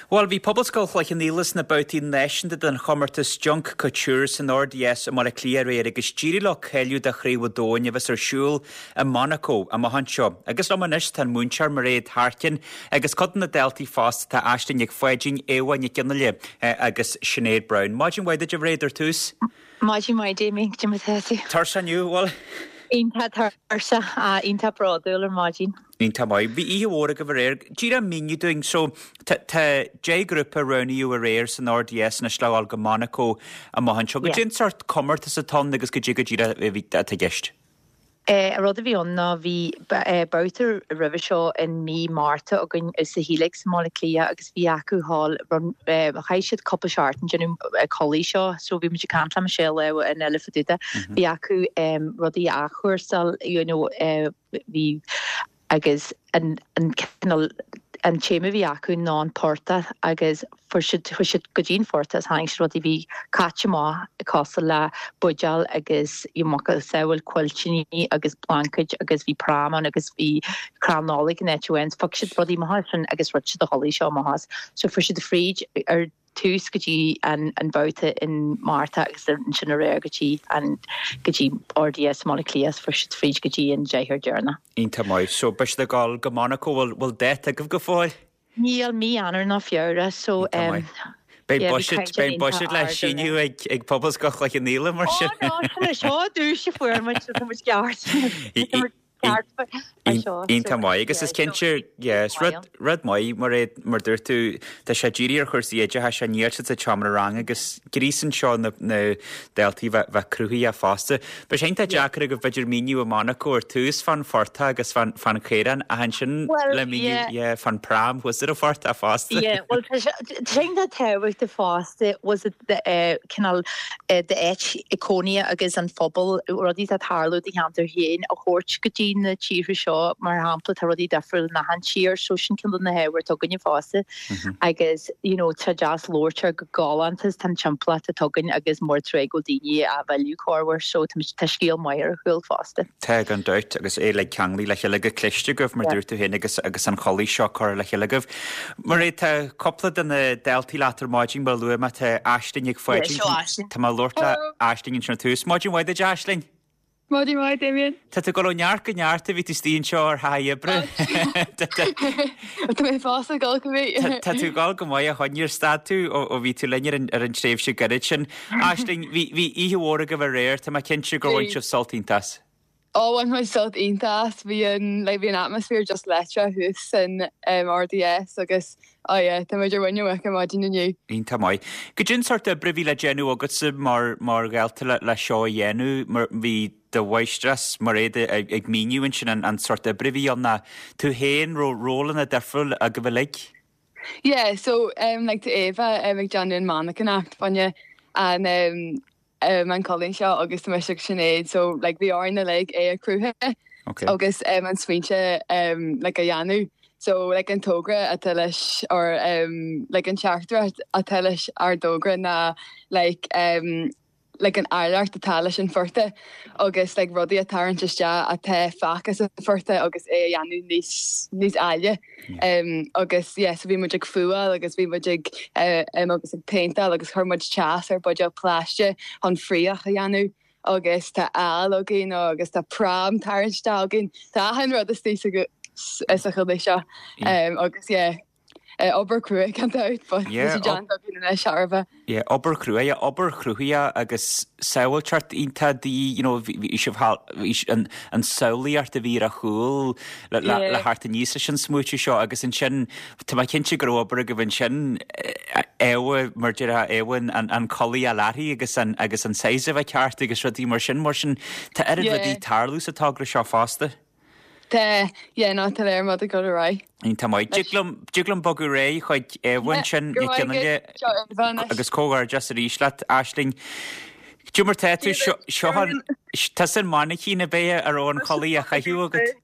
Bhuel, bhí Pobalscoil Chloich Cheann Fhaola sna babhtaí náisiúnta den chomórtas Junk Kouture san RDS i mBaile Átha Cliath aréir agus d'éirigh leo cáiliú do Chraobh an Domhain a bheas ar siúl i Monaco amach anseo. Agus liom anois tá an múinteoir Mairéad Harkin agus cuid de na daltaí fosta, tá Aisling Nic Pháidín, Éabha Nic Fhionnghaile agus Sinéad Browne. Maidin mhaith duit a Mhairéad ar tús. Maidin mhaith Damien, cad é mar atá tú? Tuirseach inniu, bhfuil? Iontach tuirseach, iontach bródúil ar maidin. Iontach maith. Bhí oíche mhór agaibh aréir. Díreach míniú dúinn, so tá 10 grúpa a roghnaíodh aréir san RDS anois le dhul go Monaco amach anseo. Cad é an sórt comórtas atá ann agus cad é go díreach atá i gceist. An rud a bhí ann ná bhí babhta roimhe seo in mí Márta againn sa Helix i mBaile Átha Cliath agus bhí acu thall, chaith siad cúpla seachtain ag déanamh culaith seo so bhí muid ag caint le Michelle lá amháin eile fá dtaobh de. Bhí acu rudaí a athchúrsáil you know, Bhí agus an cineál, an téama a bhí acu ná an portach agus fuair siad, chuaigh siad go dtí an phortach agus tháinig siad rudaí a bhí caite amach cosúil le buidéil agus macasamhail cuiltíní agus blancaid agus bhí pram ann agus bhí crann Nollag in áit amháin. Phioc siad rudaí amach as sin agus rinne siad an chulaith seo amach as. So fuair siad fríd ar tús go dtí an babhta in Márta agus ansin aréir go dtí an go dtí RDS i mBaile Átha Cliath fuair siad fríd go dtí an deichniúr deireanach. Iontach maith. So beidh siad ag dul go Monaco, bhfuil bhfuil dáta agaibh go fóill? Níl, mí Eanáir nó Feabhra so Iontach maith. Beidh yeah, bhí buiséad caighdeán beidh iontach buiséad le ard aréir. síniú ag ag Pobalscoil Chloich Cheann Fhaola mar Ó sin. no, sin é seo an duais a fuair muid so tá muid ceart. Tá muid Iontach maith agus is cinnte yeah is rud rud maith mar é mar dúirt tú tá sé dírithe ar chúrsaí oideachais níl siad sa tseomra ranga agus gríosann seo na na daltaí bheith bheith cruthaitheach fosta. Beidh sé iontach deacair agaibh b'fhéidir míniú i Monaco ar tús fán phortach agus fán fán chaorán ach ansin le míniú yeah fán pram thuas ar an phortach fosta. Yeah bhuel tá sé tá sé iontach tábhachtach fosta was it the eh cineál d'áit cónaithe agus an phobal, rudaí atá ag tarlú i do cheantar féin a thabhairt go dtí na tíortha seo, mar shampla, tá rudaí difriúil in achan tír, so sin ceann de na hábhair atá againne fosta agus you know tá deas labhairt ar go galánta is tá an timpeallacht atá againn agus mór an trua go bhfuil daoine á mhilleadh corruair so tá scéal maith ar a chúl fosta. Tá gan dabht, agus é uilig ceanglaithe le chéile go cliste agaibh, mar dúirt tú féin, agus agus an chulaith seo curtha le chéile agaibh. Mairéad, tá cúpla de na daltaí leat ar maidin, mar a luaigh mé, tá Aisling Nic Pháidín. Tá mé ag labhairt le Aisling ansin ar tús. Maidin mhaith duit, Aisling! Maidin mhaith, Damien. Tá tú ag dul ó neart go neart ó bhí tú istigh anseo ar thaithí oibre. Tá mé fós ag dul go maith. Tá tú ag dul go maith a chun, níor stad tú ó bhí tú linn ar an tréimhse gairid sin. Aisling, bhí oíche mhór agaibh aréir, tá mé cinnte gur bhain sibh sult iontach as. Ó, bhain muid sult iontach as. Bhí an, like, bhí an atmosphere just leictreach thuas san RDS agus, oh yeah, tá muid ar mhuin na muice ar maidin inniu. Iontach maith. Goidé an sórt oibre a bhí le déanamh agatsa mar, mar dhalta le, le seo a dhéanamh? Mar, bhí do mháistreás Mairéad ag míniú ansin an, an sórt oibre a bhí ann ach tú féin, raibh rólanna difriúil agaibh uilig? Yeah, so, um, like, tá Éabha um, ag déanamh an mhainicíneacht fá choinne an, um, um, an culaith seo agus tá mise agus Sinéad so like bhí orainn uilig é a chruthú Okay. agus um, an smaointe um, like a dhéanamh. So like an togra atá leis or um, like an teachtaireacht atá leis ár dtogra ná like um, like an áilleacht atá leis an phortach agus like rudaí a tharraingt isteach atá fágtha sa phortach agus é a dhéanamh níos níos áille. Um, agus yeah, so bhí muid ag fuáil agus bhí muid ag uh, um, agus ag péinteáil agus chuir muid teas ar buidéal plaisteach chun fraoch a dhéanamh agus tá ál againn agus tá pram tarraingt isteach againn. Tá achan rud istigh sa sa chulaith seo. Um, agus yeah, uh, obair crua gan dabht, but Yeah, tá sé déanta againn anois thairbhe. Yeah, obair chrua, yeah, obair chruthaithe agus samhailteoireacht iontach de dhíth, you know, bhí sibh thall, bhí an, an samhlaíocht a bhí ar a chúl le, le, le theacht aníos leis an smaoitiú seo agus ansin, tá mé cinnte go raibh obair agaibh ansin, Éabha, mar déarfá, Éabha an, an, an culaith a leathraí agus an, agus an size a bheith ceart agus rudaí mar sin, mar sin, tá oiread rudaí ag tarlú sa togra seo fosta. Tá, yeah, no, tá léir rud ag dul ar aghaidh. Iontach maith. Dtig liom, dtig liom bogadh ar aghaidh chuig Éabha ansin, Go raibh maith agat. Seo Éabha anois. Agus comhghairdeas arís leat, Aisling. Cad é mar tá tú, seo, seo an, tusa an mainicín ab ea a raibh an chulaith á chaitheamh agat?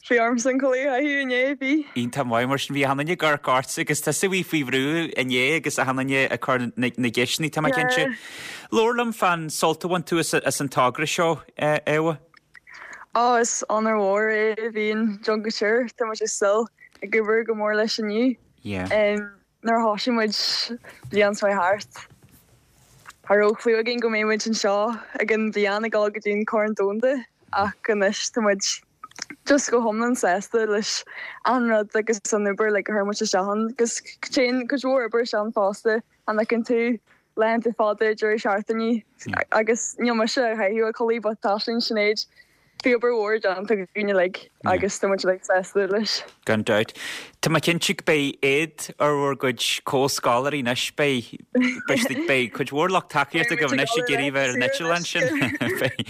Bhí ormsa an chulaith a chaitheamh inné, bhí. Iontach maith, mar sin bhí achan duine ag amharc ortsa agus tusa a bhí faoi bhrú inné agus achan duine ag cur na, na gceisteanna, tá mé cinnte. Labhair liom fán sult a bhain tú as, as an togra seo, Éabha. Á, is onóir mhór é a bheith in Junk Kouture, tá muid ag súil ag obair go mór leis inniu. Yeah. Nuair a thosaigh muid bliain seo thart, cha raibh clue againn go mbeidh muid anseo ag an bhliain ag dul go dtí an Corn Domhanda ach anois tá muid just go hiomlán sásta leis an rud agus an obair like a chuir muid isteach ann agus téann cuid mhór obair isteach ann fosta an fheiceann tú laethanta fada deireadh seachtaine agus níl mise ag caitheamh a codladh but tá sin Sinéad Bhí obair mhór déanta againn uilig agus tá muid uilig sásta leis. Gan dabht. Tá mé cinnte go beidh éad ar bhur gcuid comhscoláirí anois. Beidh, beidh, beidh cuid mhór lucht tacaíochta agaibh anois ag iarraidh bheith ar an eitleán sin.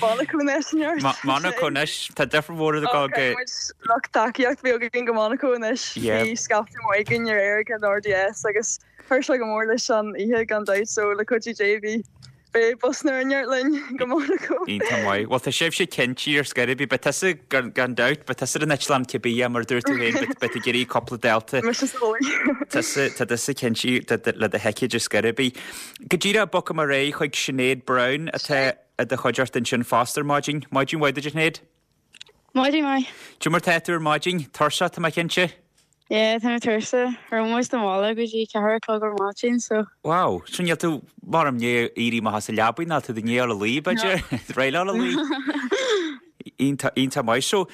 Monaco anois, neart. Monaco anois. Tá difear mhór ag dul go. Caithfidh muid lucht tacaíocht bheith againn go Monaco anois. Bhí scaifte maith againn aréir ag an RDS agus chuir sé go mór leis an oíche gan dabht so le cuidiú Dé bhí Beidh bus na neart linn go Monaco. Iontach maith. Bhuel tá sibhse cinnte ar scor ar bith. Beidh tusa, gan dabht, beidh tusa ar an eitleán cibé, mar a dúirt tú féin, beidh tú ag iarraidh cúpla dalta. Mise sa bhaile. Tusa, tá tusa cinnte le do thicéid ar scor ar bith. Go díreach bogfaidh mé ar aghaidh chuig Sinéad Browne atá i do chuideachta ansin fosta ar maidin. Maidin mhaith duit a Shinéad. Maidin mhaith. Cad é mar tá tú ar maidin? Tuirseach, tá mé cinnte? Yeah, tá mé tuirseach. Raibh muid sa mbaile go dtí 4 a chlog ar maidin, so. Wow, so níl tú mar i ndiaidh éirí amach as an leabaidh, níl tú i ndiaidh a luí, b'fhéidir? Réidh le luí? Iontach, iontach maith. So,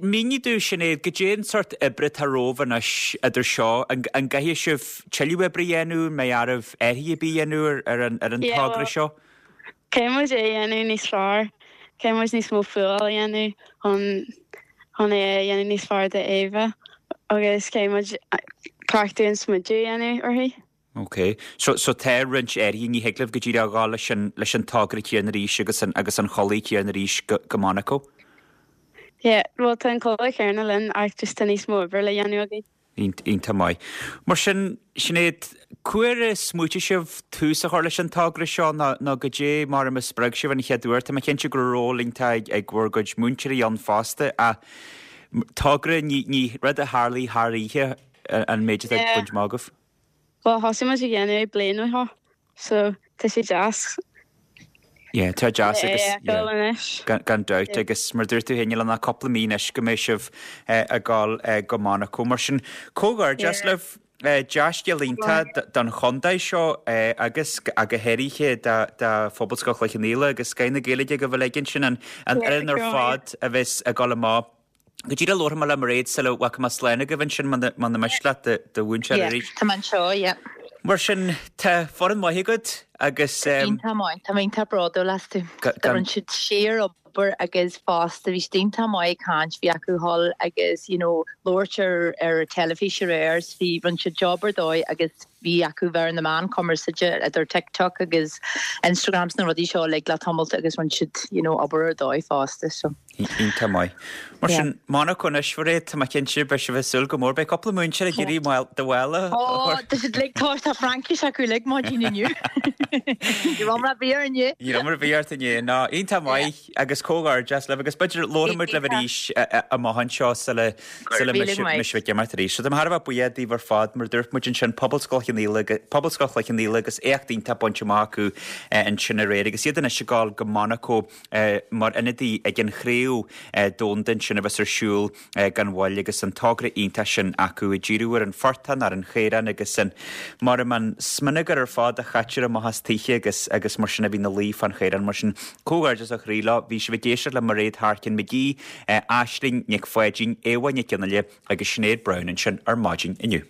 mínigh domh, Sinéad, goidé an sórt oibre atá romhaibh anois idir seo, an, an gcaithfidh sibh tuilleadh oibre a dhéanamh, an mbeidh oraibh athruithe ar bith a dhéanamh ar, ar an, ar an Yeah, togra well, seo? Caithfidh muid é a dhéanamh níos fearr. Caithfidh muid níos mó fuáil a dhéanamh chun chun é a dhéanamh níos fearr do Éabha agus caithfidh muid cleachtadh an smideadh a dhéanamh uirthi. Ok. So so tá roinnt athruithe, ní thig libh go díreach a ghabháil leis an leis an togra céanna arís agus an agus an chulaith chéanna arís go go Monaco? Yeah, bhuel tá an chulaith chéanna linn ach just tá níos mó oibre le dhéanamh againn. Iontach maith. Mar sin, Sinéad, cá huair a smaoitigh sibh tús a chur leis an togra seo nó nó goidé mar a spreag sibh an chéad uair? Tá mé cinnte go raibh ról iontach ag bhur gcuid múinteoirí ann fosta ach togra, ní ní rud a tharlaigh thar oíche an méid atá Yeah. bainte amach agaibh. Bhuel, thosaigh muid ag déanamh é bliain ó shin, so tá sé deas. Yeah, tá deas agus yeah, anois. Gan dabht agus mar dúirt tú féin níl ann ach cúpla mí anois go mbeidh sibh ag dul go Monaco. Mar sin, comhghairdeas libh, dea-scéal iontach don chontae seo agus go háirithe do Phobalscoil Chloich Cheann Fhaola agus scoth na Gaeilge agaibh uilig ansin, an fhoireann ar fad a bheas ag dul amach Go díreach labharfaidh mé le Mairéad sula bhfágfaidh mé slán agaibh ansin muna miste leat do mhúinteoir arís. Tá mé anseo, yeah. Mar sin, tá foireann maith agat agus. Iontach maith, tá mé iontach bródúil astu. Rinne siad síor-obair agus fosta bhí siad iontach maith ag caint, bhí acu dhul agus you know labhairt ar ar an teilifís aréir, bhí, rinne siad job ar dóigh agus bhí acu bheith ar na meáin cumarsáide idir TikTok agus Instagram 's na rudaí seo uilig le tamalt agus rinne siad you know obair ar dóigh fosta so. Iontach maith. Mar sin, Monaco anois, Mhairéad, tá mé cinnte, beidh sibh ag súil go mór. Beidh cúpla múinteoir ag iarraidh do mhála a chur. Ó, tá siad uilig, tá, tá Fraincis acu uilig maidin inniu. Ní raibh mar a bhí ort inné. Ní raibh mar a bhí ort inné. Ná, iontach maith agus comhghairdeas libh agus b'fhéidir labharfaidh muid libh arís amach anseo sula sula mbeidh sibh ag imirt arís. So tá mé thar a bheith buíoch daoibh ar fad, mar a dúirt muid ansin, Pobalscoil Cheann Fhaola, Pobalscoil Chloich Cheann Fhaola agus éacht iontach bainte amach acu ansin aréir agus iad anois ag dul go Monaco mar ionadaí ag an chraobh domhanda ansin a bheas ar siúl gan mhoill agus an togra iontach sin acu ag díriú ar an phortán, ar an chaorán agus an mar an smionagar ar fad a chaitear amach as tithe agus agus mar sin a bhí ina luí fán chaorán. Mar sin, comhghairdeas ó chroí leo. Bhí sibh ag éisteacht le Mairéad Harkin McGee, Aisling Nic Pháidín, Éabha Nic Fhionnghaile agus Sinéad Browne ansin ar maidin inniu.